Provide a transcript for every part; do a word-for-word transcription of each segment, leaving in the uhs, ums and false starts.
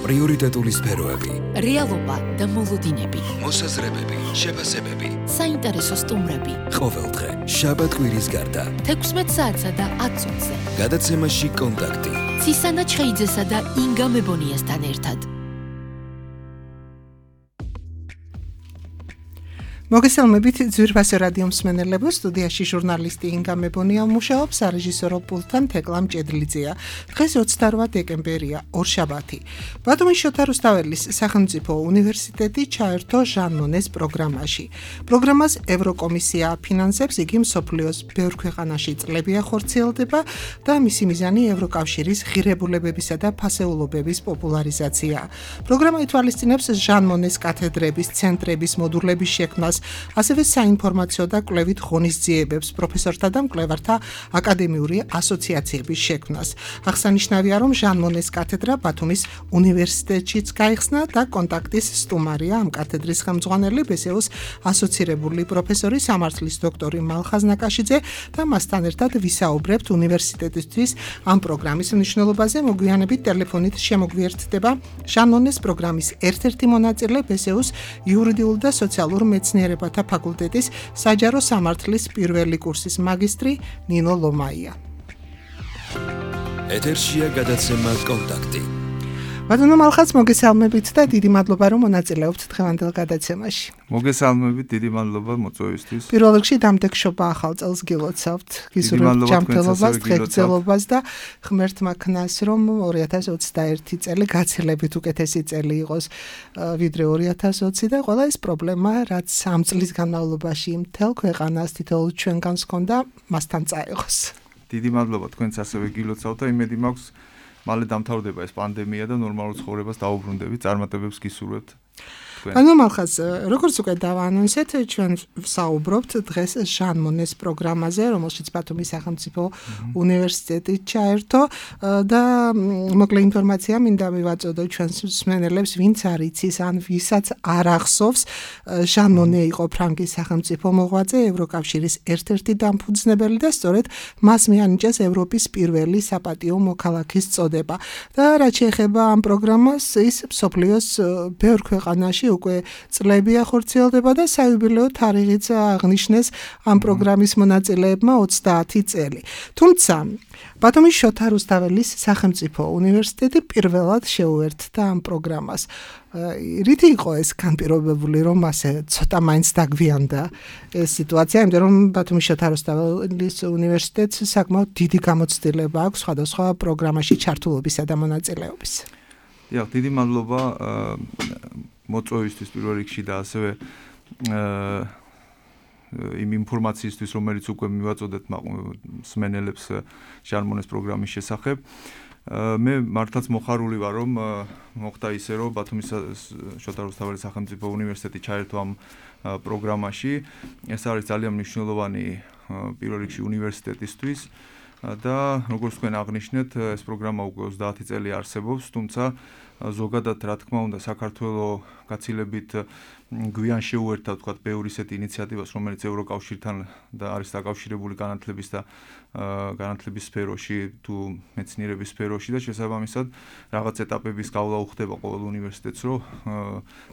პრიორიტეტული სფეროები, რეალობა და მოლოდინები, მოსაზრებები, შეფასებები, საინტერესო სტუმრები. ყოველდღე, შაბათ-კვირის გარდა, თექვსმეტ საათსა და ათ წუთზე. გადაცემაში კონტაქტი. ცისანა ჩხეიძესა და ინგა მებონიასთან ერთად. მოგესალმებით ძვირფასო რადიო მსმენელებო, სტუდიაში ჟურნალისტი ინგა მებონია მუშაობს, სარეჟისორო პულტთან თეკლა მჭედლიძეა. დღეს ოცდარვა დეკემბერია, ორშაბათი. ბათუმის შოთა რუსთაველის სახელმწიფო უნივერსიტეტი ჩაერთო ჟან მონეს პროგრამაში. პროგრამას ევროკომისია აფინანსებს, იგი მსოფლიოს ბევრ ქვეყანაში წლებია ხორციელდება და მისი მიზანი ევროკავშირის ღირებულებებისა და ფასეულობების პოპულარიზაციაა. პროგრამა ითვალისწინებს ჟან მონეს კათედრების, ცენტრების, მოდულების შექმნას, ასევე საინფორმაციო და კვლევით ღონისძიებებს, პროფესორთა და მკვლევართა აკადემიური ასოციაციების შექმნას. აღსანიშნავია, რომ ჟან მონეს კათედრა ბათუმის უნივერსიტეტშიც გაიხსნა და კონტაქტის სტუმარია ამ კათედრის ხელმძღვანელი ბესეუს ასოცირებული პროფესორი სამართლის დოქტორი მალხაზ ნაკაშიძე და მასთან ერთად ვისაუბრებთ უნივერსიტეტისთვის ამ პროგრამის მნიშვნელობაზე. მოგვიანებით ტელეფონით შემოგვიერთდება ჟან მონეს პროგრამის ერთ-ერთი მონაწილე ბესეუს იურიდიულ და სოციალურ მეცნიერებათა ფაკულტეტის საჯარო სამართლის პირველი კურსის მაგისტრი ნინო ლომაია. ეთერშია გადაცემა კონტაქტი. ბატონო მალხაზ, მოგესალმებით და დიდი მადლობა, რომ მონაწილეობთ დღევანდელ გადაცემაში. მოგესალმებით, დიდი მადლობა მოწვევისთვის. პირველ რიგში დამდეგშობა ახალ წელს გილოცავთ, გისურვებთ ჯანმრთელობას, ღირსებას და ღმერთმა ქნას, რომ ორი ათას ოცდაერთი წელი გაცილებით უკეთესი წელი იყოს ვიდრე ორი ათას ოცი და ყველა ეს პრობლემა, რაც ამ წლის განმავლობაში მთელ ქვეყანას თითოეულ ჩვენგანს ჰქონდა, მასთან წაიღოს. დიდი მადლობა თქვენც ასევე გილოცავთ და იმედი მაქვს მალე დამთავრდება ეს პანდემია და ნორმალურ ცხოვრებას დაუბრუნდებით, წარმატებებს გისურვებთ. ბატონო მალხაზ, როგორც უკვე დავაანონსეთ, ჩვენ ვსაუბრობთ დღეს ჟან მონეს პროგრამაზე, რომელშიც ბათუმის სახელმწიფო უნივერსიტეტი ჩაერთო და მოკლე ინფორმაცია მინდა მივაწოდო ჩვენს მსმენელებს, ვინც არ იცის ან ვისაც არ ახსოვს, ჟან მონე იყო ფრანგის სახელმწიფო მოღვაწე, ევროკავშირის ერთ-ერთი დამფუძნებელი და სწორედ მას მიანიჭეს ევროპის პირველი საპატიო მოქალაქის წოდება. და რაც შეეხება ამ პროგრამას, ის მსოფლიოს ბევრ ქვეყანაში უკვე წლებია ხორციელდება და საიუბილეო თარიღიც აღნიშნეს ამ პროგრამის მონაწილეებმა ოცდაათი წელი. თუმცა ბათუმის შოთა რუსთაველის სახელმწიფო უნივერსიტეტი პირველად შეუერთდა ამ პროგრამას. რითი იყო ეს განპირობებული, რომ ასე ცოტა მაინც დაგვიანდა ეს სიტუაცია, იმიტომ რომ ბათუმის შოთა რუსთაველის უნივერსიტეტს საკმაოდ დიდი გამოცდილება აქვს სხვადასხვა პროგრამაში ჩართულობისა და მონაწილეობის. დიახ, დიდი მადლობა მოწვევისთვის პირველ რიგში და ასევე იმ ინფორმაციისთვის, რომელიც უკვე მივაწოდეთ მსმენელებს ჟან მონეს პროგრამის შესახებ. მე მართლაც მოხარული ვარ, რომ მოხდა ისე, რომ ბათუმის შოთა რუსთაველის სახელმწიფო უნივერსიტეტი ჩაერთო ამ პროგრამაში. ეს არის ძალიან მნიშვნელოვანი პირველ რიგში უნივერსიტეტისთვის და როგორც თქვენ აღნიშნეთ, ეს პროგრამა უკვე ოცდაათი წელი არსებობს, თუმცა ზოგადად რა თქმა უნდა საქართველოს გაცილებით გვიან შეუერთდა თქვათ ბევრი ისეთი ინიციატივას, რომელიც ევროკავშირთან და არის დაკავშირებული განათლების და განათლების სფეროში თუ მეცნიერების სფეროში და შესაბამისად რაღაც ეტაპების გავლა უხდება ყოველ უნივერსიტეტს, რომ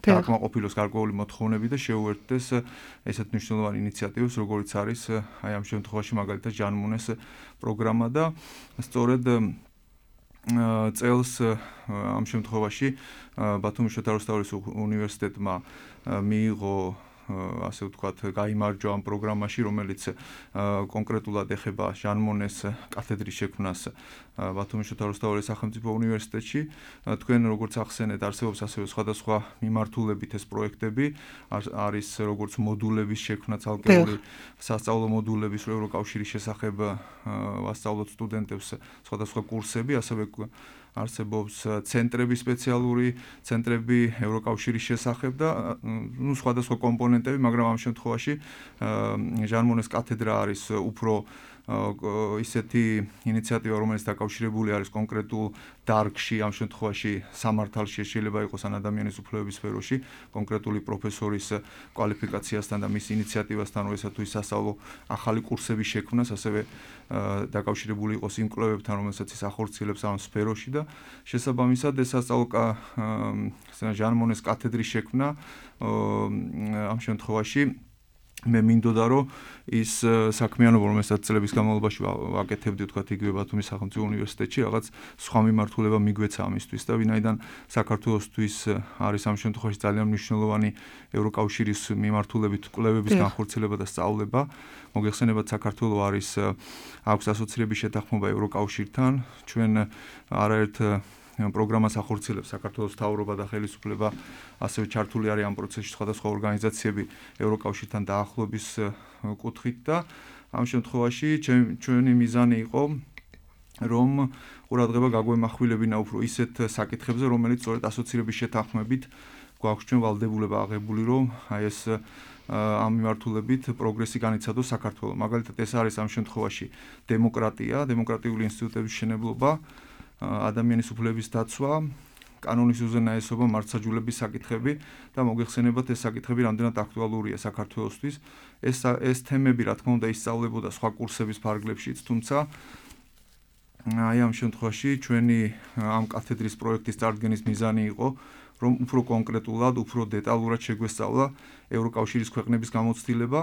დაკმაყოფილოს გარკვეული მოთხოვნები და შეუერთდეს ესეთ მნიშვნელოვანი ინიციატივებს, როგორიც არის აი ამ შემთხვევაში მაგალითად ჟან მონეს პროგრამა და სწორედ წელს ამ შემთხვევაში ბათუმის შოთა რუსთაველის უნივერსიტეტმა მიიღო ასე ვთქვათ, გაიმარჯვა ამ პროგრამაში, რომელიც კონკრეტულად ეხება ჟან მონეს კათედრის შექმნას ბათუმის შოთა რუსთაველის სახელმწიფო უნივერსიტეტში. თქვენ როგორც ახსენეთ, არსებობს ასევე სხვადასხვა მიმართულებით ეს პროექტები, არის როგორც მოდულების შექმნა, ცალკეული სასწავლო მოდულების ევროკავშირის შესახებ ვასწავლოთ სტუდენტებს სხვადასხვა კურსები, ასევე არსებობს ცენტრები, სპეციალური ცენტრები ევროკავშირის შესახებ და ნუ სხვადასხვა კომპონენტები, მაგრამ ამ შემთხვევაში ჟან მონეს კათედრა არის უფრო ისეთი ინიციატივა, რომელიც დაკავშირებული არის კონკრეტულ დარგში, ამ შემთხვევაში სამართალში, შეიძლება იყოს ან ადამიანის უფლებების სფეროში, კონკრეტული პროფესორის კვალიფიკაციასთან და მის ინიციატივასთან, როდესაც თუ ის სასწავლო ახალი კურსების შექმნას, ასევე დაკავშირებული იყოს იმ კვლევებთან, რომელსაც ის ახორციელებს ამ სფეროში და შესაბამისად ეს სასწავლო ჟან მონეს კათედრის შექმნა ამ შემთხვევაში მე მინდოდა რომ ის საქმიანობა რომელსაც წლების განმავლობაში ვაკეთებდი თქვა იგივე ბათუმის სახელმწიფო უნივერსიტეტში რაღაც სხვა მიმართულება მიგვეცა ამისთვის და ვინაიდან საქართველოსთვის არის ამ შემთხვევაში ძალიან მნიშვნელოვანი ევროკავშირის მიმართულებით კვლევების განხორციელება და სწავლება მოგეხსენებათ საქართველოს არის აქვს ასოცირების შეთანხმება ევროკავშირთან ჩვენ არაერთ პროგრამას ახორციელებს საქართველოს მთავრობა და ხელისუფლება ასევე ჩართული არის ამ პროცესში სხვადასხვა ორგანიზაციები ევროკავშირთან დაახლოების კუთხით და ამ შემთხვევაში ჩვენი მიზანი იყო რომ ყურადღება გაგვემახვილებინა უფრო ისეთ საკითხებზე რომელიც სწორედ ასოცირების შეთანხმებით გვაქვს ჩვენ ვალდებულება აღებული რომ აი ეს ამ მიმართულებით პროგრესი განიცადოს საქართველოს მაგალითად ეს არის ამ შემთხვევაში დემოკრატია დემოკრატიული ინსტიტუტების მშენებლობა ადამიანის უფლების დაცვა, კანონის უზენაესობა, მართლმსაჯულების საკითხები და მოგეხსენებათ ეს საკითხები რამდენად აქტუალურია საქართველოსთვის. ეს ეს თემები რა თქმა უნდა ისწავლებოდა სხვა კურსების ფარგლებშიც, თუმცა აი ამ შემთხვევაში ჩვენი ამ კათედრის პროექტის წარდგენის მიზანი იყო, რომ უფრო კონკრეტულად, უფრო დეტალურად შეგვესწავლა ევროკავშირის ქვეყნების გამოცდილება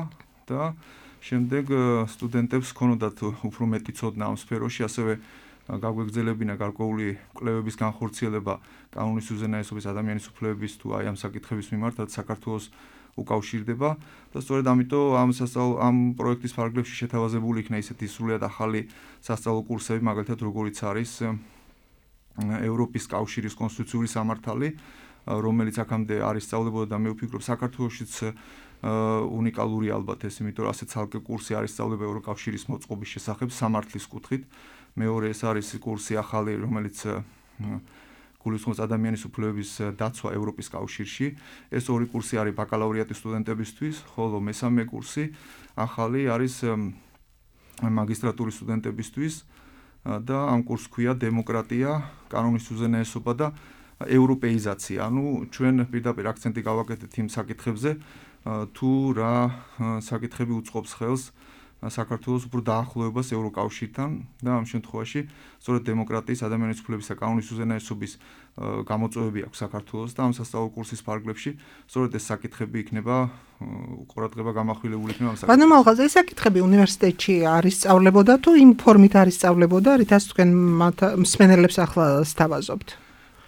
და შემდეგ სტუდენტებს ჰქონოდათ უფრო მეტი ცოდნა ამ სფეროში, ასევე გაგვეგზელებინა გარკვეული კვლევების განხორციელება კანონის უზენაესობის ადამიანის უფლებების თუ აი ამ საკითხების მიმართ, რაც საქართველოს უკავშირდება და სწორედ ამიტომ ამ სასწავლო ამ პროექტის ფარგლებში შეთავაზებული იქნა ისეთი სრულიად ახალი სასწავლო კურსები, მაგალითად როგორიც არის ევროპის კავშირის კონსტიტუციური სამართალი, რომელიც აქამდე არის სწავლებოდა და მე ვფიქრობ საქართველოშიც უნიკალური ალბათ ეს, იმიტომ რომ ასე ცალკე კურსი არის სწავლება ევროკავშირის მოწყობის შესახებ სამართლის კუთხით. მეორე ეს არის კურსი ახალი, რომელიც გულისხმობს ადამიანის უფლებების დაცვა ევროპის კავშირში. ეს ორი კურსი არის ბაკალავრიატის სტუდენტებისთვის, ხოლო მესამე კურსი ახალი არის მაგისტრატურის სტუდენტებისთვის და ამ კურსს ქვია დემოკრატია, კანონის უზენაესობა და ევროპეიზაცია. ანუ ჩვენ პირდაპირ აქცენტი გავაკეთეთ იმ საკითხებზე, თუ რა საკითხები უწყობს ხელს საქართველოს უფრო დაახლოებას ევროკავშირთან და ამ შემთხვევაში სწორედ დემოკრატიის, ადამიანის უფლებების და კანონის უზენაესობის გამოწვევები აქვს საქართველოს და ამ სასწავლო კურსის ფარგლებში სწორედ ეს საკითხები იქნება ყურადღება გამახვილებული იქნება ამ საკითხებში. ბატონო მალხაზ, ეს საკითხები უნივერსიტეტში არის სწავლებოდა თუ იმ ფორმით არის სწავლებოდა, რითაც თქვენ მსმენელებს ახლა სთავაზობთ?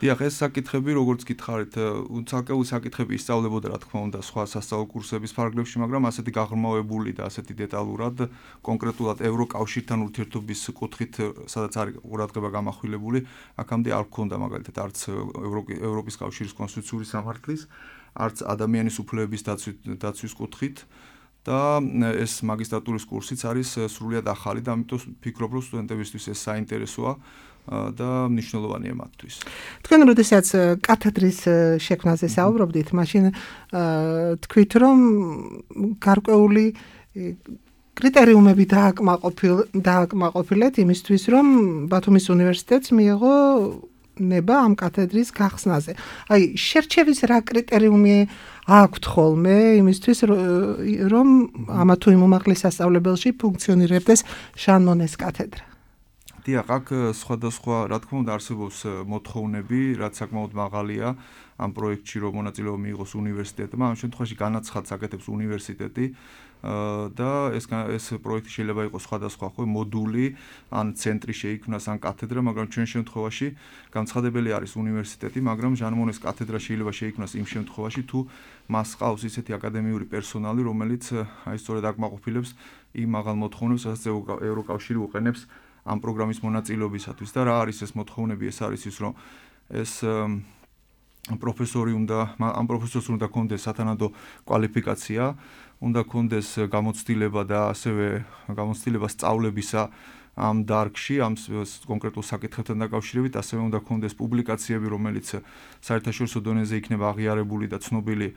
დიახ, ეს საკითხები, როგორც გითხარით, ცალკეული საკითხები ისწავლებოდა, რა თქმა უნდა, სხვა სასწავლო კურსების ფარგლებში, მაგრამ ასეთი გაღრმავებული და ასეთი დეტალურად, კონკრეტულად ევროკავშირთან ურთიერთობის კუთხით, სადაც არის ყურადღება გამახვილებული, აქამდე არ გქონდა მაგალითად არც ევროპის კავშირის კონსტიტუციური სამართლის, არც ადამიანის უფლებების დაცვის კუთხით და ეს მაგისტრატურის კურსიც არის სრულიად ახალი და ამიტომ ვფიქრობ, რომ სტუდენტებისთვის ეს საინტერესოა. და მნიშვნელოვანია მათთვის. თქვენ როდესაც კათედრის შექმნაზე საუბრობდით, მაშინ თქვით, რომ გარკვეული კრიტერიუმები დააკმაყოფილეთ იმისთვის, რომ ბათუმის უნივერსიტეტს მიიღო ნება ამ კათედრის გახსნაზე. აი, შერჩევის რა კრიტერიუმი აქვთ ხოლმე იმისთვის, რომ ამა თუ იმ უმაღლეს სასწავლებელში ფუნქციონირებდეს ჟან მონეს კათედრა? დიახ, აქ სხვადასხვა, რა თქმა უნდა, არსებობს მოთხოვნები, რაც საკმაოდ მაღალია ამ პროექტში, რომ მონაწილეობა მიიღოს უნივერსიტეტმა. ამ შემთხვევაში განაცხადს აკეთებს უნივერსიტეტი და ეს ეს პროექტი შეიძლება იყოს სხვადასხვა ხო მოდული, ან ცენტრი შეიქმნას, ან კათედრა, მაგრამ ჩვენ შემთხვევაში განცხადებელი არის უნივერსიტეტი, მაგრამ ჟან მონეს კათედრა შეიძლება შეიქმნას იმ შემთხვევაში, თუ მას ყავს ისეთი აკადემიური პერსონალი, რომელიც აი სწორედ აკმაყოფილებს იმ მაღალ მოთხოვნებს, რასაც ევროკავშირი უყენებს ამ პროგრამის მონაწილეობისათვის და რა არის ეს მოთხოვნები? ეს არის ის, რომ ეს პროფესორი უნდა ამ პროფესორს უნდა ქონდეს სათანადო კვალიფიკაცია, უნდა ქონდეს გამოცდილება და ასევე გამოცდილება სწავლებისა ამ დარგში, ამ კონკრეტულ საკითხებთან დაკავშირებით, ასევე უნდა გქონდეს პუბლიკაციები, რომელიც საერთაშორისო დონეზე იქნება აღიარებული და ცნობილი,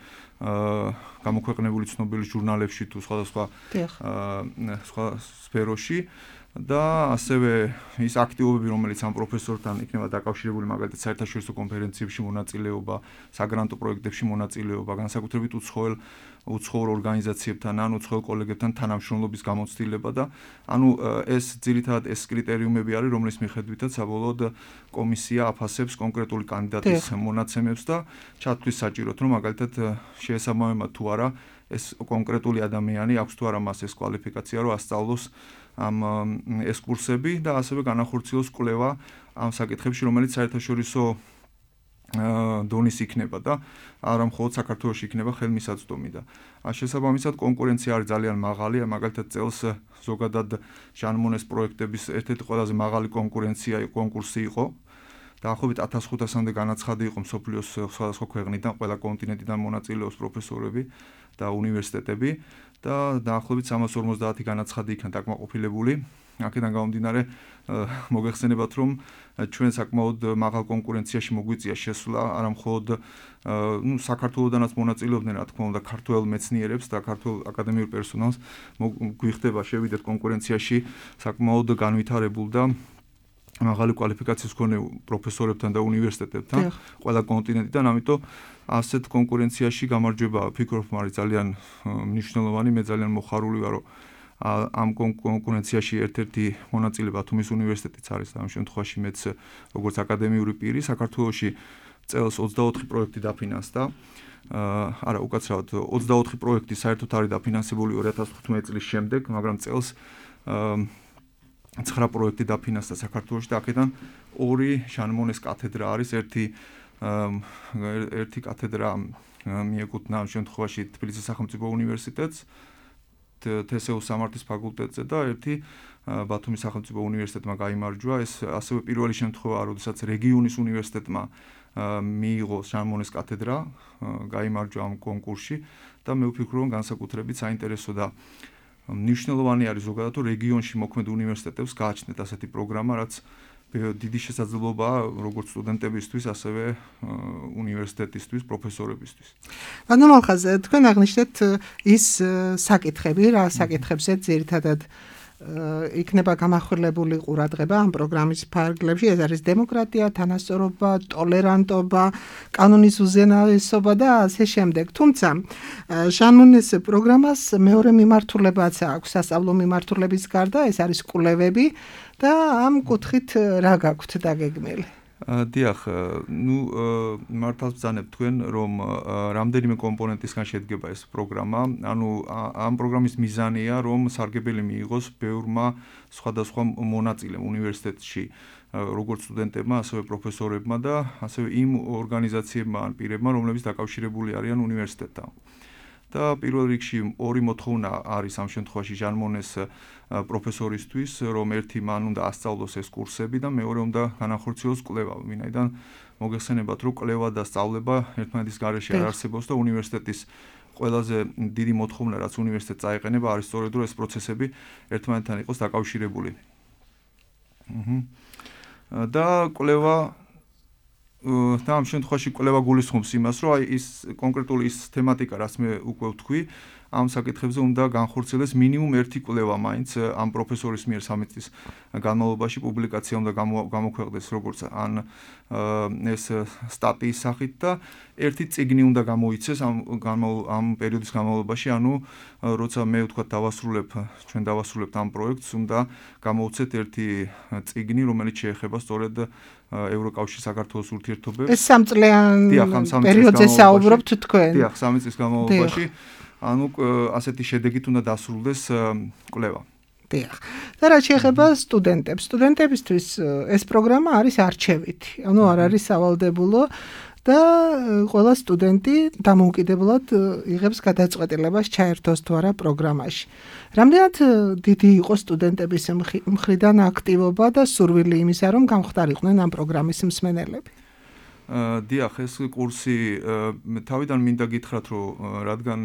გამოქვეყნებული ცნობილი ჟურნალებში თუ სხვადასხვა სხვა სფეროში. და ასევე ის აქტივობები, რომელიც ამ პროფესორთან იქნება დაკავშირებული, მაგალითად საერთაშორისო კონფერენციებში მონაწილეობა, საგრანტო პროექტებში მონაწილეობა, განსაკუთრებით უცხოელ უცხოურ ორგანიზაციებთან, ან უცხოელ კოლეგებთან თანამშრომლობის გამოცდილება და ანუ ეს ძირითადად ეს კრიტერიუმები არის, რომლის მიხედვითაც საბოლოოდ კომისია აფასებს კონკრეტული კანდიდატის მონაცემებს და ჩათვლის საჭიროდ, რომ მაგალითად შეესაბამება თუ არა ეს კონკრეტული ადამიანი აქვს თუ არა მას ეს კვალიფიკაცია, რომ ასწავლოს ამ ეს კურსები და ასევე განახორციელოს კვლევა ამ საკითხებში, რომელიც საერთაშორისო დონის იქნება და არა მხოლოდ საქართველოში იქნება ხელმისაწვდომი და შესაბამისად კონკურენცია არის ძალიან მაღალი, მაგალითად წელს ზოგადად ჟან მონეს პროექტების ერთ-ერთი ყველაზე მაღალი კონკურენცია კონკურსი იყო. დაახლოებით ათას ხუთასამდე განაცხადი იყო მსოფლიოს სხვადასხვა ქვეყნიდან, ყველა კონტინენტიდან მონაწილეობს პროფესორები და უნივერსიტეტები და დაახლოებით სამას ორმოცდაათი განაცხადი იქნა დაკმაყოფილებული. აქედან გამომდინარე მოგეხსენებათ, რომ ჩვენ საკმაოდ მაღალ კონკურენციაში მოგვიწია შესვლა, არა მხოლოდ ნუ საქართველოდანაც მონაწილეობდნენ, რა თქმა უნდა, ქართველ მეცნიერებს და ქართულ აკადემიურ პერსონალს გვიხდება შევიდეთ კონკურენციაში საკმაოდ განვითარებულ და მაღალი კვალიფიკაციის მქონე პროფესორებთან და უნივერსიტეტებთან ყველა კონტინენტიდან, ამიტომ ასეთ კონკურენციაში გამარჯვება ფიქრობ არის ძალიან მნიშვნელოვანი, მე ძალიან მოხარული ვარ, რომ ამ კონკურენციაში ერთ-ერთი მონაწილე ბათუმის უნივერსიტეტიც არის ამ შემთხვევაში მეც როგორც აკადემიური პირი საქართველოში წელს ოცდაოთხი პროექტი დაფინანსდა. არა, უკაცრავად ოცდაოთხი პროექტი საერთოდ არის დაფინანსებული ორი ათას თხუთმეტი წლის შემდეგ, მაგრამ წელს ცხრა პროექტი დაფინანსდა საქართველოში და აქედან ორი ჟან მონეს კათედრა არის, ერთი ერთი კათედრა მიეკუთვნა ამ შემთხვევაში თბილისის სახელმწიფო უნივერსიტეტს, თე ეს იუ სამართლის ფაკულტეტზე და ერთი ბათუმის სახელმწიფო უნივერსიტეტმა გაიმარჯვა. ეს ასევე პირველი შემთხვევაა, როდესაც რეგიონის უნივერსიტეტმა მიიღო ჟან მონეს კათედრა, გაიმარჯვა ამ კონკურსში და მე ვფიქრობ, რომ განსაკუთრებით საინტერესო და მნიშვნელოვანი არის ზოგადად, რომ რეგიონში მოქმედ უნივერსიტეტებს გააჩნდეთ ასეთი პროგრამა, რაც დიდი შესაძლებლობაა როგორც სტუდენტებისთვის, ასევე უნივერსიტეტისთვის, პროფესორებისთვის. ბატონო მალხაზ, თქვენ აღნიშნეთ ის საკითხები, რა საკითხებზე ძირითადად იქნება გამახვილებული ყურადღება ამ პროგრამის ფარგლებში, ეს არის დემოკრატია, თანასწორობა, ტოლერანტობა, კანონის უზენაესობა და ასე შემდეგ. თუმცა ჟან მონეს პროგრამას მეორე მიმართულებაც აქვს, სასწავლო მიმართულების გარდა, ეს არის კვლევები და ამ კუთხით რა გაქვთ დაგეგმილი? დიახ, ნუ მართალს ბრძანებ თქვენ, რომ რამდენიმე კომპონენტისგან შედგება ეს პროგრამა. ანუ ამ პროგრამის მიზანია, რომ სარგებელი მიიღოს ბევრმა სხვადასხვა მონაწილემ უნივერსიტეტში, როგორც სტუდენტებმა, ასევე პროფესორებმა და ასევე იმ ორგანიზაციებმა ან პირებმა, რომლებიც დაკავშირებული არიან უნივერსიტეტთან. და პირველ რიგში ორი მოთხოვნა არის ამ შემთხვევაში ჟან მონეს პროფესორისთვის, რომ ერთი მან უნდა ასწავლოს ეს კურსები და მეორე უნდა განახორციელოს კვლევა, ვინაიდან მოგეხსენებათ, რომ კვლევა და სწავლება ერთმანეთის გარეშე არ არსებობს და უნივერსიტეტის ყველაზე დიდი მოთხოვნა, რაც უნივერსიტეტს წაეყენება, არის სწორედ რომ ეს პროცესები ერთმანეთთან იყოს დაკავშირებული. და კვლევა და ამ შემთხვევაში კვლევა გულისხმობს იმას, რომ აი ის კონკრეტული ის თემატიკა, რაც მე უკვე ვთქვი, ამ საკითხებზე უნდა განხორციელდეს მინიმუმ ერთი კვლევა მაინც ამ პროფესორის მიერ სამი წლის განმავლობაში პუბლიკაცია უნდა გამოქვეყნდეს როგორც ან ეს სტატიის სახით და ერთი წიგნი უნდა გამოიცეს ამ ამ პერიოდის განმავლობაში, ანუ როცა მე ვთქვათ დავასრულებ, ჩვენ დავასრულებთ ამ პროექტს, უნდა გამოვცეთ ერთი წიგნი, რომელიც შეეხება სწორედ ევროკავშირის საქართველოს ურთიერთობებს. ეს სამწლიან პერიოდზე საუბრობთ თქვენ? დიახ, სამი წლის განმავლობაში. ანუ ასეთი შედეგით უნდა დასრულდეს კვლევა. დიახ. და რაც შეეხება სტუდენტებს, სტუდენტებისთვის ეს პროგრამა არის არჩევითი. ანუ არ არის სავალდებულო და ყველა სტუდენტი დამოუკიდებლად იღებს გადაწყვეტილებას ჩაერთოს თუ არა პროგრამაში. რამდენად დიდი იყო სტუდენტების მხრიდან აქტივობა და სურვილი იმისა, რომ გამხდარიყვნენ ამ პროგრამის მსმენელები? დიახ, ეს კურსი თავიდან მინდა გითხრათ, რომ რადგან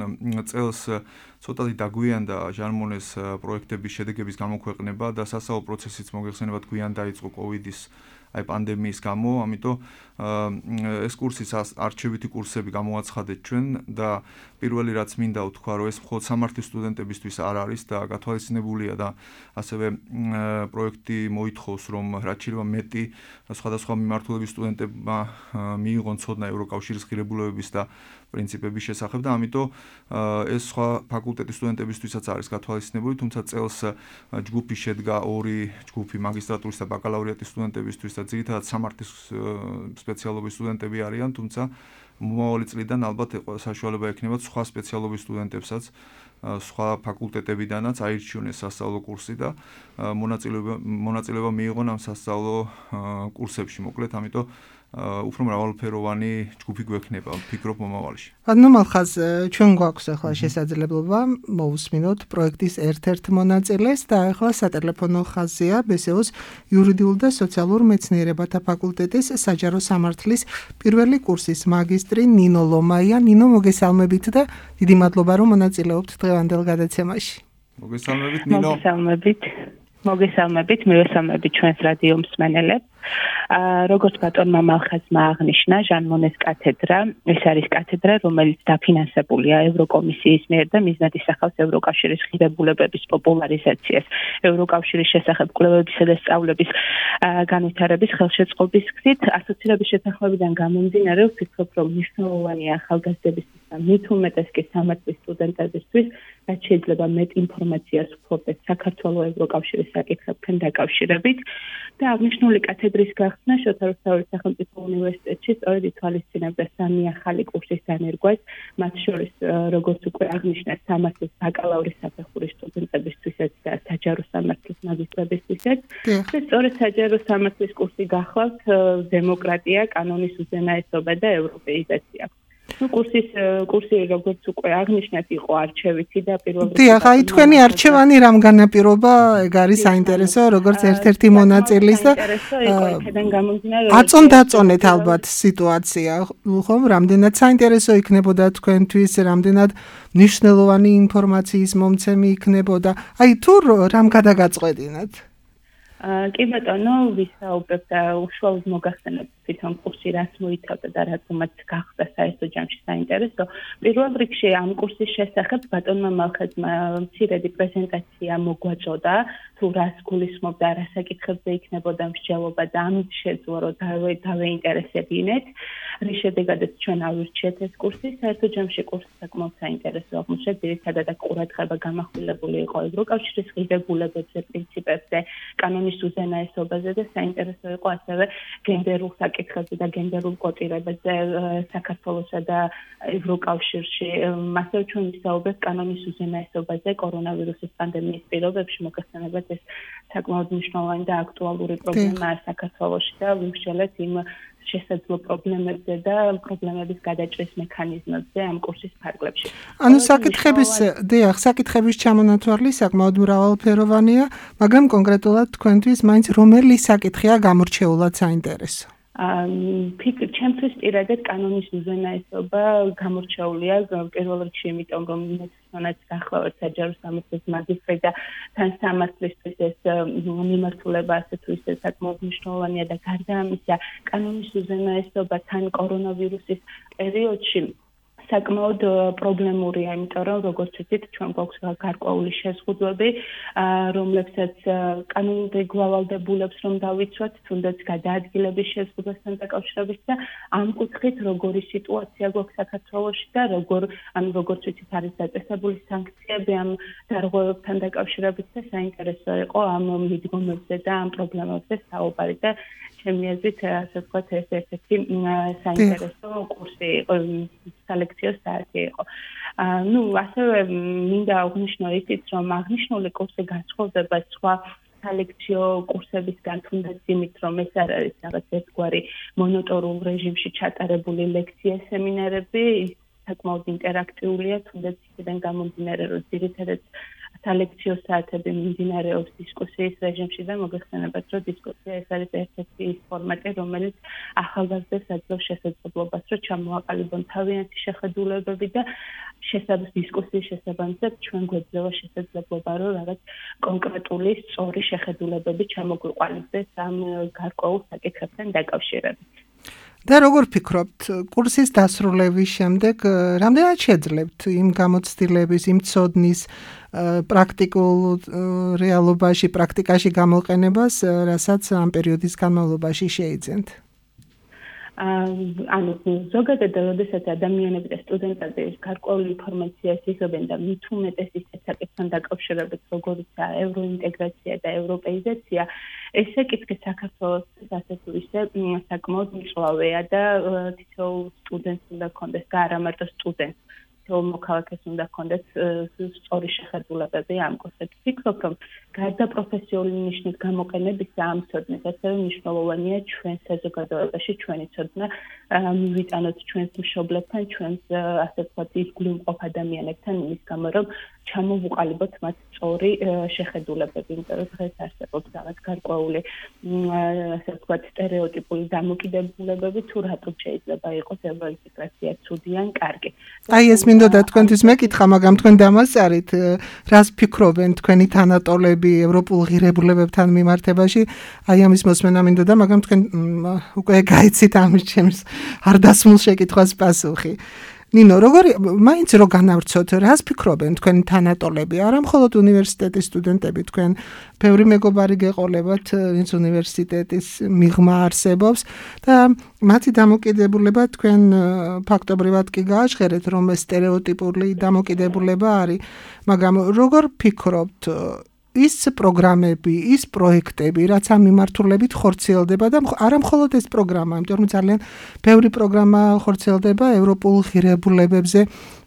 წელს ცოტათი დაგვიანდა ჟანმონეს პროექტების შედეგების გამოქვეყნება და სასწავლო პროცესიც მოგეხსენებათ გვიან დაიწყო კოვიდის აი პანდემიის გამო, ამიტომ ეს კურსის არჩევითი კურსები გამოაცხადეთ ჩვენ და პირველი რაც მინდა ვთქვა, რომ ეს მხოლოდ სამართლის სტუდენტებისთვის არ არის და გათვალისწინებულია და ასევე პროექტი მოითხოვს, რომ რაც შეიძლება მეტი სხვადასხვა მიმართულების სტუდენტებმა მიიღონ ცოდნა ევროკავშირის ღირებულებების და პრინციპების შესახებ და ამიტომ ეს სხვა ფაკულტეტის სტუდენტებისთვისაც არის გათვალისწინებული, თუმცა წელს ჯგუფი შედგა ორი ჯგუფი მაგისტრატურის და ბაკალავრიატის სტუდენტებისთვის და ძირითადად სამართლის სპეციალობის სტუდენტები არიან, თუმცა მომავალი წლიდან ალბათ საშუალება ექნებათ სხვა სპეციალობის სტუდენტებსაც სხვა ფაკულტეტებიდანაც აირჩივნეს სასწავლო კურსი და მონაწილეობა მონაწილეობა მიიღონ ამ სასწავლო კურსებში, მოკლედ, ამიტომ უფრო მრავალფეროვანი ჯგუფი გვექნება, ვფიქრობ მომავალში. ანუ მალხაზ ჩვენ გვაქვს ახლა შესაძლებლობა მოусმინოთ პროექტის ერთ-ერთ მონაწილეს და ახლა სატელეფონო ხაზია ბე ეს ე-ს იურიდიულ და სოციალურ მეცნიერებათა ფაკულტეტის საჯარო სამართლის პირველი კურსის მაგისტრი ნინო ლომაია. ნინო, მოგესალმებით და დიდი მადლობა, რომ მონაწილეობთ დღევანდელ გადაცემაში. მოგესალმებით, ნინო. მოგესალმებით. მოგესალმებით, მივესალმებით ჩვენს რადიო მსმენელებს. როგორც ბატონმა მალხაზმა აღნიშნა, ჟანმონეს კათედრა, ეს არის კათედრა, რომელიც დაფინანსებულია ევროკომისიის მიერ და მიზნად ისახავს ევროკავშირის ღირებულებების პოპულარიზაციას, ევროკავშირის შესახებ კვლევებისა და სწავლების განვითარების ხელშეწყობის გზით. ასოცირების შეთანხმებიდან გამომდინარე, ვფიქრობ, რომ მნიშვნელოვანია ახალგაზრდებისთვის და მით უმეტეს კი სამართლის სტუდენტებისთვის, რაც შეიძლება მეტ ინფორმაციას ვფლობდეთ საქართველოს ევროკავშირის საკითხებთან დაკავშირებით და აღნიშნული კათედრის გახსნა შოთა რუსთაველის სახელმწიფო უნივერსიტეტში სწორედ ითვალისწინებდა სამი ახალი კურსის დანერგვას, მათ შორის როგორც უკვე აღნიშნა სამართლის ბაკალავრის საფეხურის სტუდენტებისთვისაც და საჯარო სამართლის მაგისტრებისთვისაც და სწორედ საჯარო სამართლის კურსი გახლავთ დემოკრატია, კანონის უზენაესობა და ევროპეიზაცია. Ну, კურსის კურსი როგორც უკვე აღნიშნეთ, იყო არჩევითი და პირველად დიახ, აი თქვენი არჩევანი რამ განაპირობა, ეგ არის საინტერესო, როგორც ერთ-ერთი მონაწილის და აწონ-დაწონეთ ალბათ სიტუაცია, ხომ, რამდენად საინტერესო იქნებოდა თქვენთვის, რამდენად მნიშვნელოვანი ინფორმაციის მომცემი იქნებოდა. აი თუ რამ გადაგაწყვეტინათ? კი ბატონო, ვისაუბრებ და უშუალოდ მოგახსენებ თვითონ კურსი რაც მოიცავდა და რაც უმაც გახდა საერთო ჯამში საინტერესო. პირველ რიგში ამ კურსის შესახებ ბატონმა მალხაზმა მცირედი პრეზენტაცია მოგვაწოდა, თუ რას გულისხმობდა, რა საკითხებზე იქნებოდა მსჯელობა და ამით შეძლო, რომ დავეინტერესებინეთ, რის შედეგადაც ჩვენ ავირჩიეთ ეს კურსი. საერთო ჯამში კურსი საკმაოდ საინტერესო აღმოჩნდა, ძირითადად ყურადღება გამახვილებული იყო ევროკავშირის ღირებულებებზე, პრინციპებზე, კანონის უზენაესობაზე და საინტერესო იყო ასევე გენდერულ საკითხებზე და გენდერულ კოტირებებზე საქართველოსა და ევროკავშირში. ასევე ჩვენ ვისაუბრეთ კანონის უზენაესობაზე კორონავირუსის პანდემიის პირობებში, მოგახსენებათ ეს საკმაოდ მნიშვნელოვანი და აქტუალური პრობლემაა საქართველოში და ვიმსჯელეთ იმ შესაძლო პრობლემებზე და პრობლემების გადაჭრის მექანიზმებზე ამ კურსის ფარგლებში. ანუ საკითხების, დიახ, საკითხების ჩამონათვალი საკმაოდ მრავალფეროვანია, მაგრამ კონკრეტულად თქვენთვის მაინც რომელი საკითხია გამორჩეულად საინტერესო? ფიქრ ჩემთვის პირადად კანონის უზენაესობა გამორჩეულია პირველ რიგში, იმიტომ რომ მეცნიერად გახლავთ საჯარო სამართლის მაგისტრი და თან სამართლისთვის ეს მიმართულება ასე თუ ისე საკმაოდ მნიშვნელოვანია და გარდა ამისა, კანონის უზენაესობა თან კორონავირუსის პერიოდში საკმაოდ პრობლემურია, იმიტომ რომ როგორც ვთქვით, ჩვენ გვაქვს გარკვეული შეზღუდვები, რომლებსაც კანონიერი გვალვალდებულებს რომ დავიცვათ, თუნდაც გადაადგილების შეზღუდვასთან დაკავშირებით და ამ კუთხით როგორი სიტუაცია გვაქვს საქართველოში და როგორ ანუ როგორც ვთქვით, არის დაწესებული სანქციები ამ დარღვევებთან დაკავშირებით და საინტერესო იყო ამ მიდგომებზე და ამ პრობლემებზე საუბარი და ჩემი აზრით, ასე ვთქვათ, ეს ერთ-ერთი საინტერესო კურსი იყო, სალექციო საათი იყო. ну, ასევე მინდა აღნიშნო ისიც, რომ აღნიშნული კურსი განსხვავდება სხვა სალექციო კურსებისგან, თუნდაც იმით, რომ ეს არ არის რაღაც ერთგვარი მონოტორულ რეჟიმში ჩატარებული ლექცია, სემინარები, საკმაოდ ინტერაქტიულია, თუნდაც იქიდან გამომდინარე, რომ ძირითადად სალექციო საათები მიმდინარეობს დისკუსიის რეჟიმში და მოგეხსენებათ, რომ დისკუსია ეს არის ერთ-ერთი ის ფორმატი, რომელიც ახალგაზრდებს აძლევს შესაძლებლობას, რომ ჩამოაყალიბონ თავიანთი შეხედულებები და შესაძლოა დისკუსიის შესაბამისად ჩვენ გვეძლევა შესაძლებლობა, რომ რაღაც კონკრეტული სწორი შეხედულებები ჩამოგვიყვანილდეს ამ გარკვეულ საკითხებთან დაკავშირებით. და როგორ ფიქრობთ, კურსის დასრულების შემდეგ რამდენად შეძლებთ იმ გამოცდილების, იმ ცოდნის პრაქტიკულ რეალობაში, პრაქტიკაში გამოყენებას, რასაც ამ პერიოდის განმავლობაში შეიძენთ? ანუ ზოგადად როდესაც ადამიანები და სტუდენტები გარკვეული ინფორმაციას იღებენ და მით უმეტეს ისეთ საკითხთან დაკავშირებით, როგორიცაა ევროინტეგრაცია და ევროპეიზაცია, ეს საკითხი საქართველოს ასე თუ ისე საკმაოდ მწვავეა და თითოეულ სტუდენტს უნდა ჰქონდეს და არა მარტო სტუდენტს, თითოეულ მოქალაქეს უნდა ჰქონდეს სწორი შეხედულებები ამ კურსზე. ვფიქრობ, რომ გარდა პროფესიული ნიშნის გამოყენებისა ამ ცოდნის, ასევე მნიშვნელოვანია ჩვენ საზოგადოებაში ჩვენი ცოდნა მივიტანოთ ჩვენს მშობლებთან, ჩვენს ასე ვთქვათ იგულივ მყოფ ადამიანებთან, იმის გამო რომ ჩამოვუყალიბოთ მათ სწორი შეხედულებები, იმიტომ რომ დღეს არსებობს რაღაც გარკვეული ასე ვთქვათ სტერეოტიპული დამოკიდებულებები, თუ რატომ შეიძლება იყოს ევროინტეგრაცია ცუდი ან კარგი. აი ეს მინდოდა თქვენთვის მეკითხა, მაგრამ თქვენ დამასწარით, რას ფიქრობენ თქვენი თანატოლები ევროპულ ღირებულებებთან მიმართებაში, აი ამის მოსმენა მინდოდა, მაგრამ თქვენ უკვე გაიცით ამის ჩემს არ დასმულ შეკითხვას პასუხი. ნინო, როგორი მაინც რო განავრცოთ, რას ფიქრობენ თქვენი თანატოლები? არა მხოლოდ უნივერსიტეტის სტუდენტები, თქვენ ბევრი მეგობარი გეყოლებათ, ვინც უნივერსიტეტის მიღმა არსებობს და მათი დამოკიდებულება თქვენ ფაქტობრივად კი გააჟღერეთ, რომ სტერეოტიპული დამოკიდებულება არის, მაგრამ როგორ ფიქრობთ, ის პროგრამები, ის პროექტები, რაც ამ მიმართულებით ხორციელდება და არა მხოლოდ ეს პროგრამა, იმიტომ რომ ძალიან ბევრი პროგრამა ხორციელდება ევროპულ ღირებულებებზე,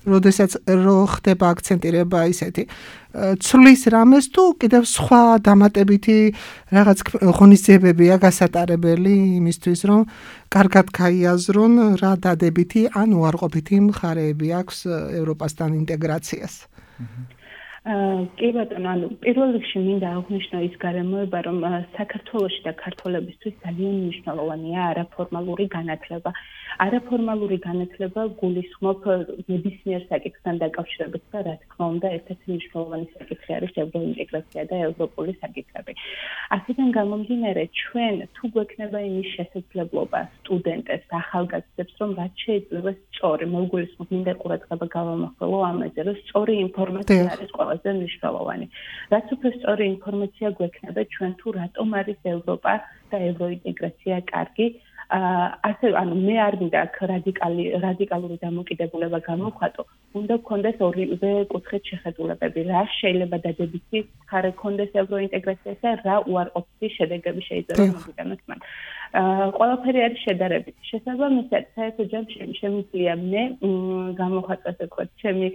როდესაც რო ხდება აქცენტირება ისეთი ცვლის რამეს თუ კიდევ სხვა დამატებითი რაღაც ღონისძიებებია გასატარებელი იმისთვის, რომ კარგად გაიაზრონ რა დადებითი ან უარყოფითი მხარეები აქვს ევროპასთან ინტეგრაციას. კი ბატონო, ანუ პირველ რიგში მინდა აღვნიშნო ის გარემოება, რომ საქართველოში და ქართველებისთვის ძალიან მნიშვნელოვანია არაფორმალური განათლება. არაფორმალური განათლება გულისხმობ ნებისმიერ საკითხთან დაკავშირებით და რა თქმა უნდა, ერთ-ერთი მნიშვნელოვანი საკითხი არის ევროინტეგრაცია და ევროპული საკითხები. აქედან გამომდინარე, ჩვენ თუ გვექნება იმის შესაძლებლობა სტუდენტებს, ახალგაზრდებს, რომ რაც შეიძლება სწორი, მოგულისხმობ, მინდა ყურადღება გავამახვილო ამაზე, რომ სწორი ინფორმაცია არის ყველაზე მნიშვნელოვანი. რაც უფრო სწორი ინფორმაცია გვექნება ჩვენ თუ რატომ არის ევროპა და ევროინტეგრაცია კარგი, ასე ანუ მე არ მინდა აქ რადიკალი რადიკალური დამოკიდებულება გამოვხატო, უნდა გქონდეს ორივე კუთხით შეხედულებები, რა შეიძლება დადებითი მხარე გქონდეს ევროინტეგრაციას და რა უარყოფითი შედეგები შეიძლება მოვიტანოთ მან. ყველაფერი არის შედარებითი. შესაბამისად, საერთო ჯამში შემიძლია მე გამოვხატოს თქვა ჩემი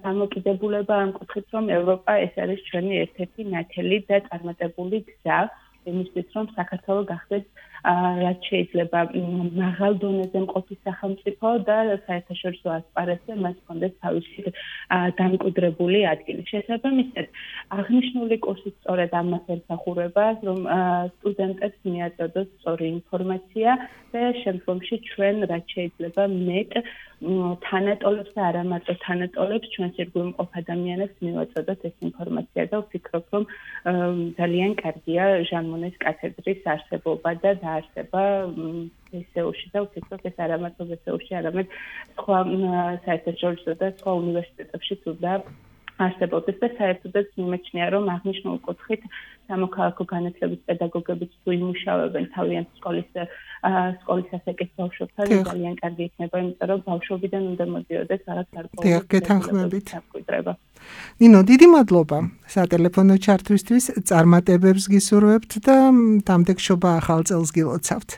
დამოკიდებულება ამ კუთხით, რომ ევროპა ეს არის ჩვენი ერთ-ერთი ნათელი და წარმატებული გზა იმისთვის, რომ საქართველო გახდეს რაც შეიძლება მაღალ დონეზე მყოფი სახელმწიფო და საერთაშორისო ასპარესზე მას ჰქონდეს თავისი დამკვიდრებული ადგილი. შესაბამისად, აღნიშნული კურსი სწორედ ამას ემსახურება, რომ სტუდენტებს მიაწოდოს სწორი ინფორმაცია და შემდგომში ჩვენ რაც შეიძლება მეტ თანატოლებს და არა მარტო თანატოლებს, ჩვენს ირგვლივ მყოფ ადამიანებს მივაწოდოთ ეს ინფორმაცია და ვფიქრობ, რომ ძალიან კარგია ჟანმონეს კათედრის არსებობა და დაარსება ბესეუში და ვფიქრობ, ეს არა მარტო ბესეუში, არამედ სხვა საერთაშორისო და სხვა უნივერსიტეტებში თუნდა არსებობდეს და საერთოდაც მიმეჩნია, რომ აღნიშნულ კუთხით სამოქალაქო განათლების პედაგოგებიც თუ იმუშავებენ თავიანთ სკოლის სკოლის ასაკის ბავშვებთან, ძალიან კარგი იქნება, იმიტომ რომ ბავშვობიდან უნდა მოდიოდეს რაღაც გარკვეული გეთანხმებით. ნინო, დიდი მადლობა სატელეფონო ჩართვისთვის, წარმატებებს გისურვებთ და დამდეგშობა ახალ წელს გილოცავთ.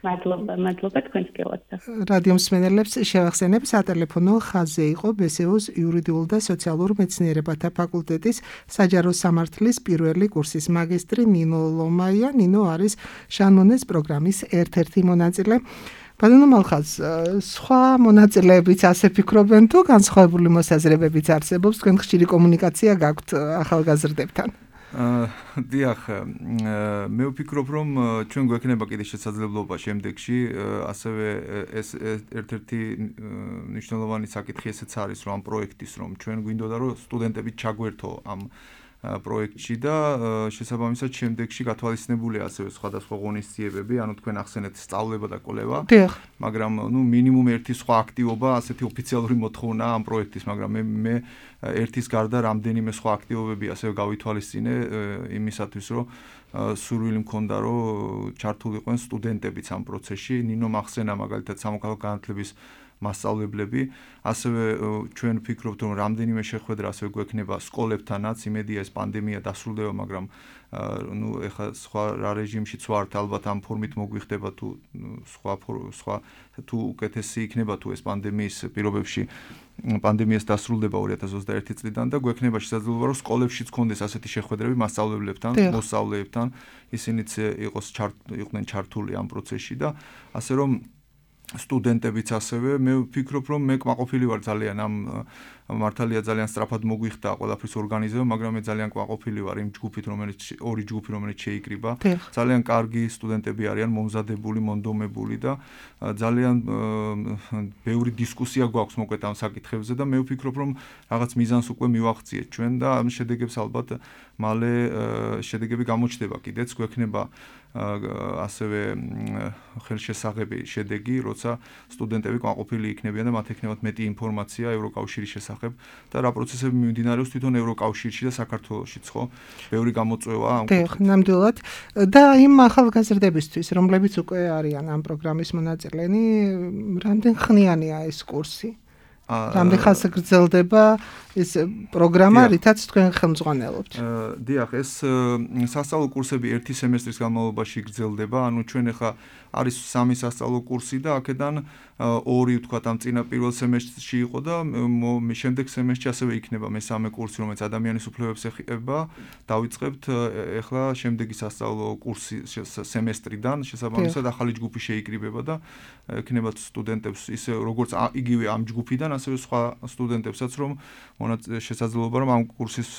მადლობა, მადლობა თქვენს გილოცავთ. რადიო მსმენელებს შევახსენებ, სატელეფონო ხაზზე იყო ბესეუს იურიდიულ და სოციალურ მეცნიერებათა ფაკულტეტის საჯარო სამართლის პირველი კურსის მაგისტრი ნინო ლომაია. ნინო არის ჟანმონეს პროგრამის ერთ-ერთი მონაწილე. ბატონო მალხაზ, სხვა მონაწილეებიც ასე ფიქრობენ თუ განსხვავებული მოსაზრებებიც არსებობს, თქვენ ხშირი კომუნიკაცია გაქვთ ახალგაზრდებთან? დიახ, მე ვფიქრობ, რომ ჩვენ გვექნება კიდე შესაძლებლობა შემდეგში, ასევე ეს ერთ-ერთი მნიშვნელოვანი საკითხი ესეც არის, რომ ამ პროექტის რომ ჩვენ გვინდოდა რომ სტუდენტები ჩაგვერთო ამ პროექტში და შესაბამისად შემდეგში გათვალისწინებულია ასევე სხვადასხვა ღონისძიებები, ანუ თქვენ ახსენეთ სწავლება და კვლევა. მაგრამ ნუ მინიმუმ ერთი სხვა აქტივობა, ასეთი ოფიციალური მოთხოვნაა ამ პროექტის, მაგრამ მე მე ერთის გარდა რამდენიმე სხვა აქტივობები ასევე გავითვალისწინე იმისათვის, რომ სურვილი მქონდა, რომ ჩართულიყვნენ სტუდენტებიც ამ პროცესში. ნინო მახსენა მაგალითად სამოქალაქო განათლების მასწავლებლები, ასევე ჩვენ ვფიქრობთ, რომ რამდენიმე შეხვედრა ასევე გვექნება სკოლებთანაც, იმედია ეს პანდემია დასრულდება, მაგრამ ნუ ეხლა სხვა რა რეჟიმშიც ვართ, ალბათ ამ ფორმით მოგვიხდება თუ სხვა სხვა თუ უკეთესი იქნება თუ ეს პანდემიის პირობებში პანდემიას დასრულდება ორი ათას ოცდაერთი წლიდან და გვექნება შესაძლებლობა, რომ სკოლებშიც გქონდეს ასეთი შეხვედრები მასწავლებლებთან, მოსწავლეებთან, ისინიც იყოს იყვნენ ჩართული ამ პროცესში და ასე რომ სტუდენტებიც ასევე მე ვფიქრობ, რომ მე კმაყოფილი ვარ ძალიან ამ მართალია ძალიან სწრაფად მოგვიხდა ყველაფრის ორგანიზება, მაგრამ მე ძალიან კმაყოფილი ვარ იმ ჯგუფით, რომელიც ორი ჯგუფი, რომელიც შეიკრიბა. ძალიან კარგი სტუდენტები არიან, მომზადებული, მონდომებული და ძალიან ბევრი დისკუსია გვაქვს მოკლედ ამ საკითხებზე და მე ვფიქრობ, რომ რაღაც მიზანს უკვე მივახციეთ ჩვენ და ამ შედეგებს ალბათ მალე შედეგები გამოჩნდება კიდეც გვექნება ასევე ხელშესაღები შედეგი, როცა სტუდენტები კმაყოფილი იქნებიან და მათ ექნებათ მეტი ინფორმაცია ევროკავშირის შესახებ და რა პროცესები მიმდინარეობს თვითონ ევროკავშირში და საქართველოშიც, ხო? ბევრი გამოწვევა ამ კუთხით. ნამდვილად. და იმ ახალგაზრდებისთვის, რომლებიც უკვე არიან ამ პროგრამის მონაწილენი, რამდენ ხნიანია ეს კურსი? რამდენ ხანს გრძელდება ეს პროგრამა, რითაც თქვენ ხელმძღვანელობთ? დიახ, ეს სასწავლო კურსები ერთი სემესტრის განმავლობაში გრძელდება, ანუ ჩვენ ახლა არის სამი სასწავლო კურსი და აქედან ორი ვთქვათ ამ წინა პირველ სემესტრში იყო და შემდეგ სემესტრში ასევე იქნება მესამე კურსი, რომელიც ადამიანის უფლებებს ეხება. დავიწყებთ ახლა შემდეგი სასწავლო კურსი სემესტრიდან, შესაბამისად ახალი ჯგუფი შეიკრიბება და ექნებათ სტუდენტებს ისე როგორც იგივე ამ ჯგუფიდან, ასევე სხვა სტუდენტებსაც რომ შესაძლებლობა რომ ამ კურსის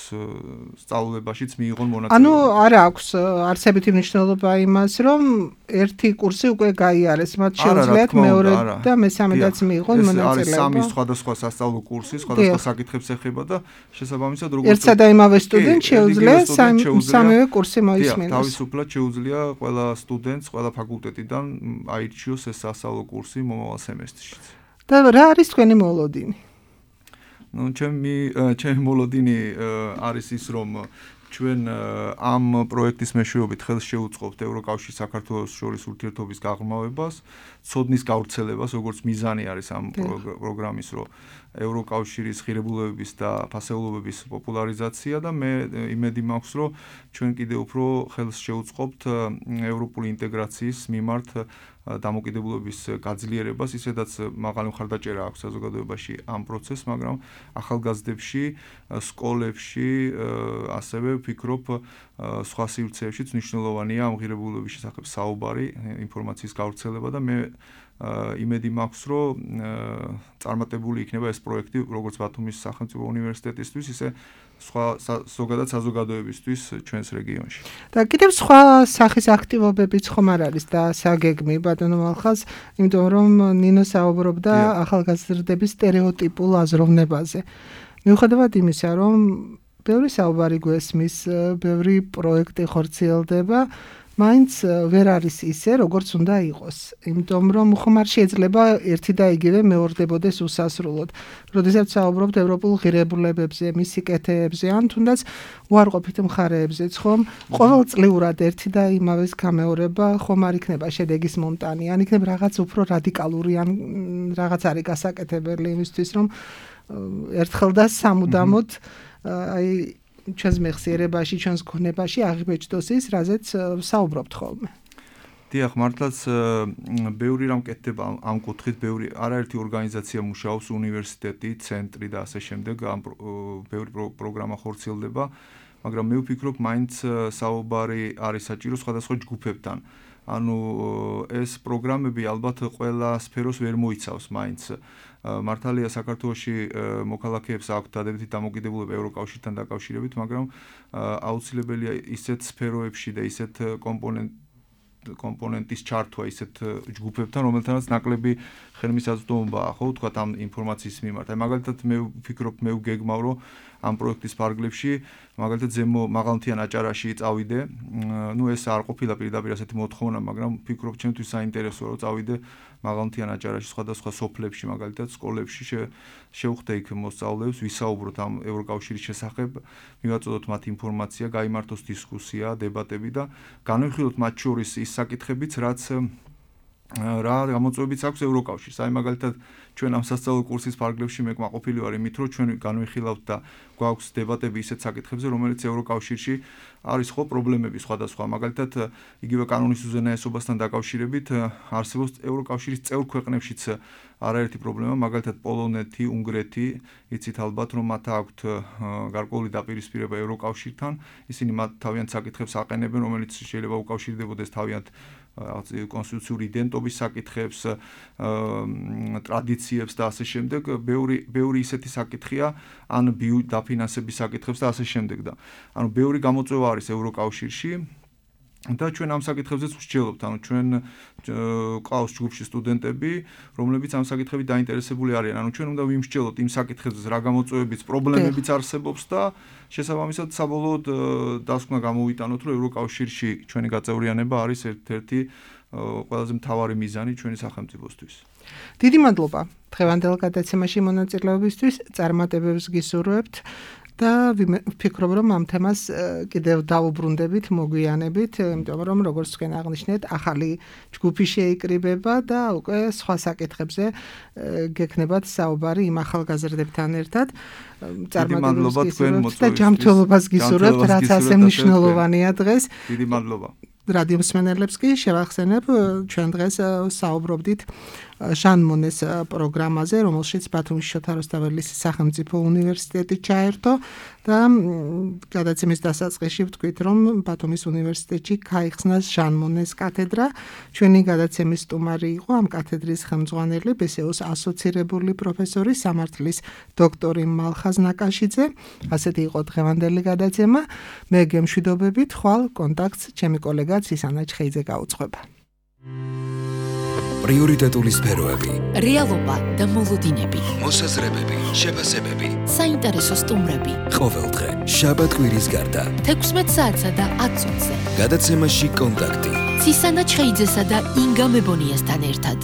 სწავლებაშიც მიიღონ მონაწილეობა. ანუ არ აქვს არსებითი მნიშვნელობა იმას, რომ ერთი კურსი უკვე გაიარეს, მათ შეუძლიათ მეორე და მესამედაც მიიღონ მონაწილეობა. ეს არის სამი სხვადასხვა სასწავლო კურსი, სხვადასხვა საკითხებს ეხება და შესაბამისად როგორც ერთსა და იმავე სტუდენტს შეუძლია სამივე კურსი მოისმინოს. თავისუფლად შეუძლია ყველა სტუდენტს, ყველა ფაკულტეტიდან აირჩიოს ეს სასწავლო კურსი მომავალ სემესტრშიც. და რა არის თქვენი მოლოდინი? ნუ ჩემი ჩემი მოლოდინი არის ის, რომ ჩვენ ამ პროექტის მეშვეობით ხელს შევუწყობთ ევროკავშირის საქართველოს შორის ურთიერთობის გაღრმავებას, ცოდნის გავრცელებას, როგორც მიზანი არის ამ პროგრამის, რომ ევროკავშირის ღირებულებების და ფასეულობების პოპულარიზაცია და მე იმედი მაქვს, რომ ჩვენ კიდე უფრო ხელს შევუწყობთ ევროპული ინტეგრაციის მიმართ დამოკიდებულების გაძლიერებას, ისედაც მაღალი მხარდაჭერა აქვს საზოგადოებაში ამ პროცესს, მაგრამ ახალგაზრდებში, სკოლებში, ასევე ვფიქრობ სხვა სივრცეებშიც მნიშვნელოვანია ამ ღირებულებების შესახებ საუბარი, ინფორმაციის გავრცელება და მე იმედი მაქვს, რომ წარმატებული იქნება ეს პროექტი როგორც ბათუმის სახელმწიფო უნივერსიტეტისთვის, ისე სხვა ზოგადად საზოგადოებისთვის ჩვენს რეგიონში. და კიდევ სხვა სახის აქტივობებიც ხომ არ არის და საგეგმი ბატონო მალხაზ, იმიტომ რომ ნინო საუბრობდა ახალგაზრდების სტერეოტიპულ აზროვნებაზე. მიუხედავად იმისა, რომ ბევრი საუბარი გვესმის, ბევრი პროექტი ხორციელდება, მაინც ვერ არის ისე, როგორც უნდა იყოს. იმიტომ რომ ხომ არ შეიძლება ერთი და იგივე მეორდებოდეს უსასრულოდ. როდესაც საუბრობთ ევროპულ ღირებულებებზე, მისი კეთეებზე, ან თუნდაც უარყოფით მხარეებზეც, ხომ ყოველწლიურად ერთი და იმავეს გამეორება ხომ არ იქნება შედეგის მომტანი, ან იქნება რაღაც უფრო რადიკალური, ან რაღაც არის გასაკეთებელი იმისთვის, რომ ერთხელ და სამუდამოდ აი ჩვენს მეხსიერებაში, ჩვენს გონებაში აღიბეჭდოს ის, რაზეც საუბრობთ ხოლმე. დიახ, მართლაც ბევრი რამ კეთდება ამ კუთხით, ბევრი არაერთი ორგანიზაცია მუშაობს, უნივერსიტეტი, ცენტრი და ასე შემდეგ, ამ ბევრი პროგრამა ხორციელდება, მაგრამ მე ვფიქრობ, მაინც საუბარი არის საჭირო სხვადასხვა ჯგუფებთან. ანუ ეს პროგრამები ალბათ ყველა სფეროს ვერ მოიცავს მაინც. მართალია საქართველოში მოქალაქეებს აქვთ დადებითი დამოკიდებულება ევროკავშირთან დაკავშირებით, მაგრამ აუცილებელია ისეთ სფეროებში და ისეთ კომპონენტ კომპონენტის ჩართვა ისეთ ჯგუფებთან, რომელთანაც ნაკლები ხელმისაწვდომობაა, ხო, თქვათ ამ ინფორმაციის მიმართ. აი მაგალითად მე ვფიქრობ, მე ვგეგმავ, რომ ამ პროექტის ფარგლებში მაგალითად ზემო მაღალმთიან აჭარაში წავიდე. ნუ ეს არ ყოფილა პირდაპირ ასეთი მოთხოვნა, მაგრამ ვფიქრობ ჩემთვის საინტერესოა რომ წავიდე მაღალმთიან აჭარაში სხვადასხვა სოფლებში, მაგალითად სკოლებში შევხვდე იქ მოსწავლეებს, ვისაუბროთ ამ ევროკავშირის შესახებ, მივაწოდოთ მათ ინფორმაცია, გაიმართოს დისკუსია, დებატები და განვიხილოთ მათ შორის ის საკითხებიც, რაც რა გამოწვევებიც აქვს ევროკავშირს. აი მაგალითად ჩვენ ამ სასწავლო კურსის ფარგლებში მე კმაყოფილი ვარ იმით, რომ ჩვენ განვიხილავთ და გვაქვს დებატები ისეთ საკითხებზე, რომელიც ევროკავშირში არის ხო პრობლემები სხვადასხვა. მაგალითად იგივე კანონის უზენაესობასთან დაკავშირებით არსებობს ევროკავშირის წევრ ქვეყნებშიც არაერთი პრობლემა, მაგალითად პოლონეთი, უნგრეთი, იცით ალბათ რომ მათ აქვთ გარკვეული დაპირისპირება ევროკავშირთან, ისინი მათ თავიანთ საკითხებს აყენებენ, რომელიც შეიძლება უკავშირდებოდეს თავიანთ კონსტიტუციური იდენტობის საკითხებს, ტრადიციებს და ასე შემდეგ, ბევრი ბევრი ისეთი საკითხია, ან დაფინანსების საკითხებს და ასე შემდეგ და ანუ ბევრი გამოწვევა არის ევროკავშირში და ჩვენ ამ საკითხებზეც ვსჯელობთ, ანუ ჩვენ ყავს ჯგუფში სტუდენტები, რომლებიც ამ საკითხებით დაინტერესებული არიან. ანუ ჩვენ უნდა ვიმსჯელოთ იმ საკითხებზე, რა გამოწვევებიც, პრობლემებიც არსებობს და შესაბამისად საბოლოოდ დასკვნა გამოვიტანოთ, რომ ევროკავშირში ჩვენი გაწევრიანება არის ერთ-ერთი ყველაზე მთავარი მიზანი ჩვენი სახელმწიფოსთვის. დიდი მადლობა დღევანდელ გადაცემაში მონაწილეობისთვის, წარმატებებს გისურვებთ. და ვფიქრობ, რომ ამ თემას კიდევ დაუბრუნდებით, მოგვიანებით, იმიტომ რომ როგორც თქვენ აღნიშნეთ, ახალი ჯგუფი შეიკრიბება და უკვე სხვა საკითხებზე გექნებათ საუბარი იმ ახალგაზრდებთან ერთად. წარმატებებს გისურვებთ და ჯანმრთელობას გისურვებთ, რაც ასე მნიშვნელოვანია დღეს. დიდი მადლობა. რადიო მსმენელებს კი შევახსენებ, ჩვენ დღეს საუბრობდით ჟან მონეს პროგრამაზე, რომელშიც ბათუმის შოთა რუსთაველის სახელმწიფო უნივერსიტეტი ჩაერთო და გადაცემის დასაწყისში ვთქვით, რომ ბათუმის უნივერსიტეტში გაიხსნა ჟან მონეს კათედრა. ჩვენი გადაცემის სტუმარი იყო ამ კათედრის ხელმძღვანელი, ბე ეს იუს ასოცირებული პროფესორი, სამართლის დოქტორი მალხაზ ნაკაშიძე. ასეთი იყო დღევანდელი გადაცემა. მე გემშვიდობებით, ხვალ კონტაქტს ჩემი კოლეგა ცისანა ჩხეიძე გაუძღვება. პრიორიტეტული სფეროები, რეალობა და მოლოდინები, მოსაზრებები, შეფასებები, საინტერესო სტუმრები. ყოველდღე, შაბათ-კვირის გარდა, თექვსმეტ საათსა და ათ წუთზე. გადაცემაში კონტაქტი. ცისანა ჩხეიძესა და ინგა მებონიასთან ერთად.